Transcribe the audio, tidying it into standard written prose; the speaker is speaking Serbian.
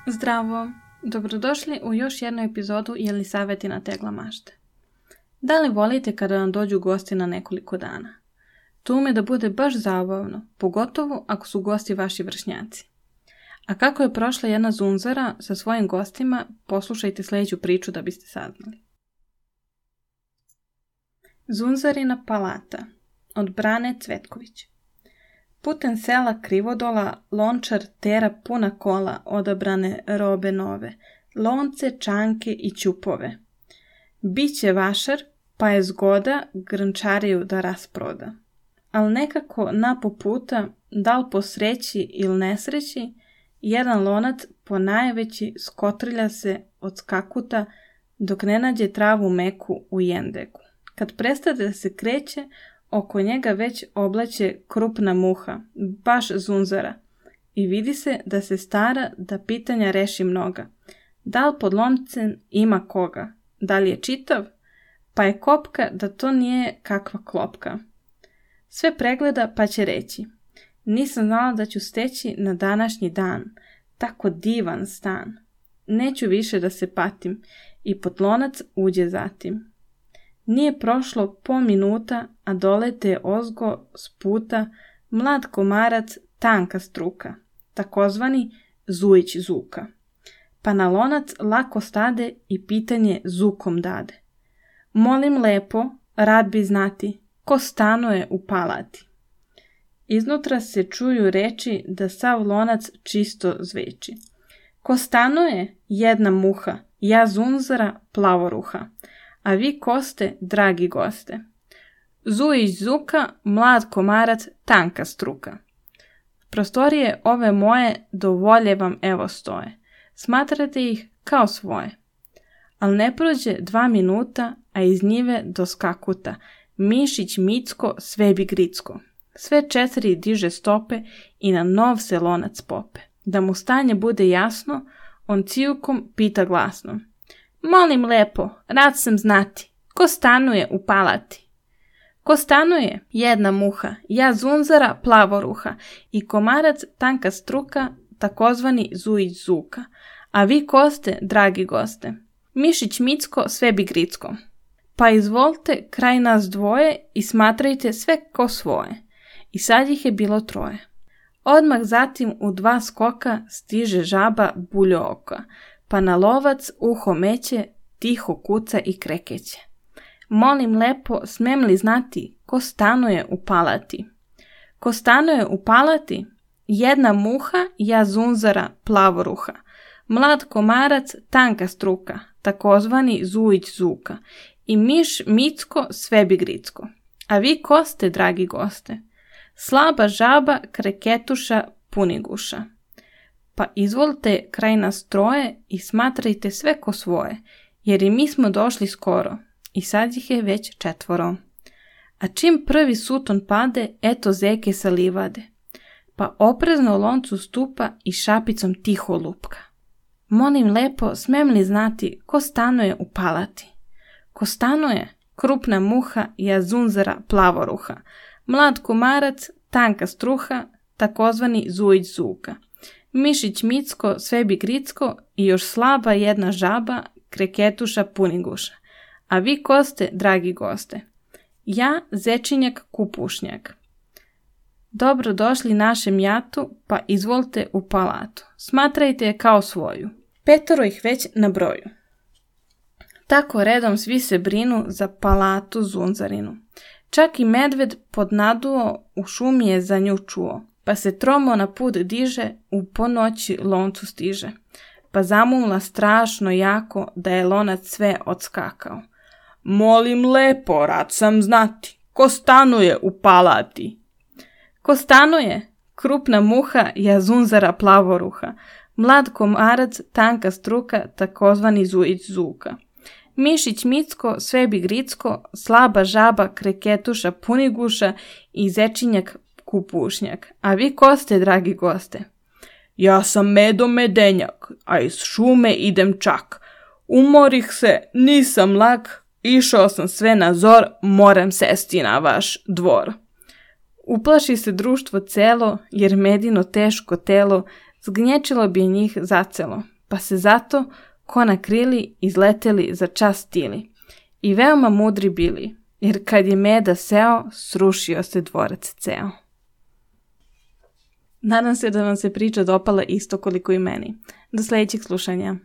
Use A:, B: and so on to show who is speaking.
A: Zdravo! Dobrodošli u još jednu epizodu Jelisavetina tegla mašte. Da li volite kada vam dođu gosti na nekoliko dana? To ume da bude baš zabavno, pogotovo ako su gosti vaši vršnjaci. A kako je prošla jedna zunzara sa svojim gostima, poslušajte sljedeću priču da biste saznali. Zunzarina palata od Brane Cvetković. Putem sela Krivodola lončar tera puna kola odabrane robe nove, lonce, čanke i ćupove. Biće vašar, pa je zgoda grnčariju da rasproda. Al nekako napo puta, da li po sreći ili nesreći, jedan lonac po najveći skotrilja se od skakuta dok ne nađe travu meku u jendeku. Kad prestade da se kreće, oko njega već oblače krupna muha, baš zunzara, i vidi se da se stara da pitanja reši mnoga. Da li pod loncem ima koga? Da li je čitav? Pa je kopka da to nije kakva klopka. Sve pregleda pa će reći: nisam znala da ću steći na današnji dan tako divan stan. Neću više da se patim, i pod lonac uđe zatim. Nije prošlo po minuta, a dolete ozgo s puta mlad komarac, tanka struka, takozvani Zujić Zuka. Pa na lonac lako stade i pitanje zukom dade: molim lepo, rad bi znati, ko stanuje u palati? Iznutra se čuju reči da sav lonac čisto zveči. Ko stanuje? Jedna muha, ja zunzara plavoruha. A vi ko ste, dragi goste? Zujić Zuka, mlad komarac, tanka struka. Prostorije ove moje do volje vam evo stoje. Smatrate ih kao svoje. Al ne prođe 2 minuta, a iz njive do skakuta mišić Micko sve bi gricko. Sve 4 diže stope i na nov se lonac pope. Da mu stanje bude jasno, on cijukom pita glasno: molim lepo, rad sam znati, ko stanuje u palati? Ko stanuje? Jedna muha, ja zunzara plavoruha, i komarac tanka struka, takozvani Zujić Zuka. A vi ko ste, dragi goste? Mišić Micko sve bi gricko. Pa izvolite kraj nas dvoje i smatrajte sve ko svoje. I sad ih je bilo 3. Odmah zatim u 2 skoka stiže žaba buljo oka, pa na lovac uho meće, tiho kuca i krekeće. Molim lepo, smem li znati, ko stanuje u palati? Ko stanuje u palati? Jedna muha, ja zunzara plavoruha. Mlad komarac, tanka struka, takozvani Zujić Zuka. I miš Micko sve bi gricko. A vi ko ste, dragi goste? Slaba žaba, kreketuša, puniguša. Pa izvolite kraj nas 3 i smatrajte sve ko svoje, jer i mi smo došli skoro, i sad ih je već 4. A čim prvi suton pade, eto zeke sa livade, pa oprezno loncu stupa i šapicom tiho lupka. Molim lepo, smem li znati, ko stanuje u palati? Ko stanuje? Krupna muha, ja zunzara plavoruha. Mlad komarac, tanka struha, takozvani Zujić Zuka. Mišić Micko sve bi gricko i još slaba jedna žaba, kreketuša puniguša. A vi ko ste, dragi goste? Ja zečinjak kupušnjak. Dobro došli našem jatu, pa izvolite u palatu. Smatrajte je kao svoju. 5 ih već na broju. Tako redom svi se brinu za palatu zunzarinu. Čak i medved pod naduo u šumi je za nju čuo, pa se tromo na put diže, u ponoći loncu stiže. Pa zamumla strašno jako da je lonac sve odskakao. Molim lepo, rad sam znati, ko stanuje u palati? Ko stanuje? Krupna muha, ja zunzara plavoruha. Mlad komarac, tanka struka, takozvani Zujić Zuka. Mišić Micko sve bi gricko, slaba žaba, kreketuša, puniguša i zečinjak kupušnjak. A vi ko ste, dragi goste? Ja sam Medo Medenjak, a iz šume idem čak. Umorih se, nisam lak, išao sam sve na zor, moram sesti na vaš dvor. Uplaši se društvo celo, jer Medino teško telo zgnječilo bi njih zacelo. pa se zato, ko na krili, izleteli za čas stili. I veoma mudri bili, jer kad je meda seo, srušio se dvorac ceo. Nadam se da vam se priča dopala isto koliko i meni. Do sljedećeg slušanja.